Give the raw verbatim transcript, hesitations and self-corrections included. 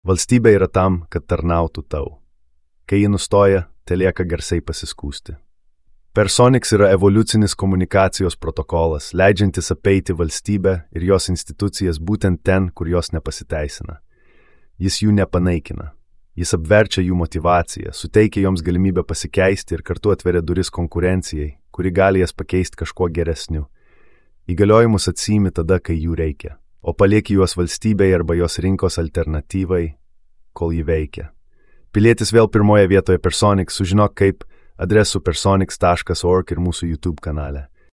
Valstybė yra tam, kad tarnautų tau. Kai ji nustoja, telieka garsiai pasiskųsti. Personix yra evoliucinis komunikacijos protokolas, leidžiantis apeiti valstybę ir jos institucijas būtent ten, kur jos nepasiteisina. Jis jų nepanaikina. Jis apverčia jų motivaciją, suteikia joms galimybę pasikeisti ir kartu atveria duris konkurencijai, kuri gali jas pakeisti kažkuo geresniu. Įgaliojimus atsiimi tada, kai jų reikia, o palieki juos valstybei arba jos rinkos alternatyvai, kol jį veikia. Pilietis vėl pirmoje vietoje Personix, sužinok kaip adresu personix taškas org ir mūsų YouTube kanale.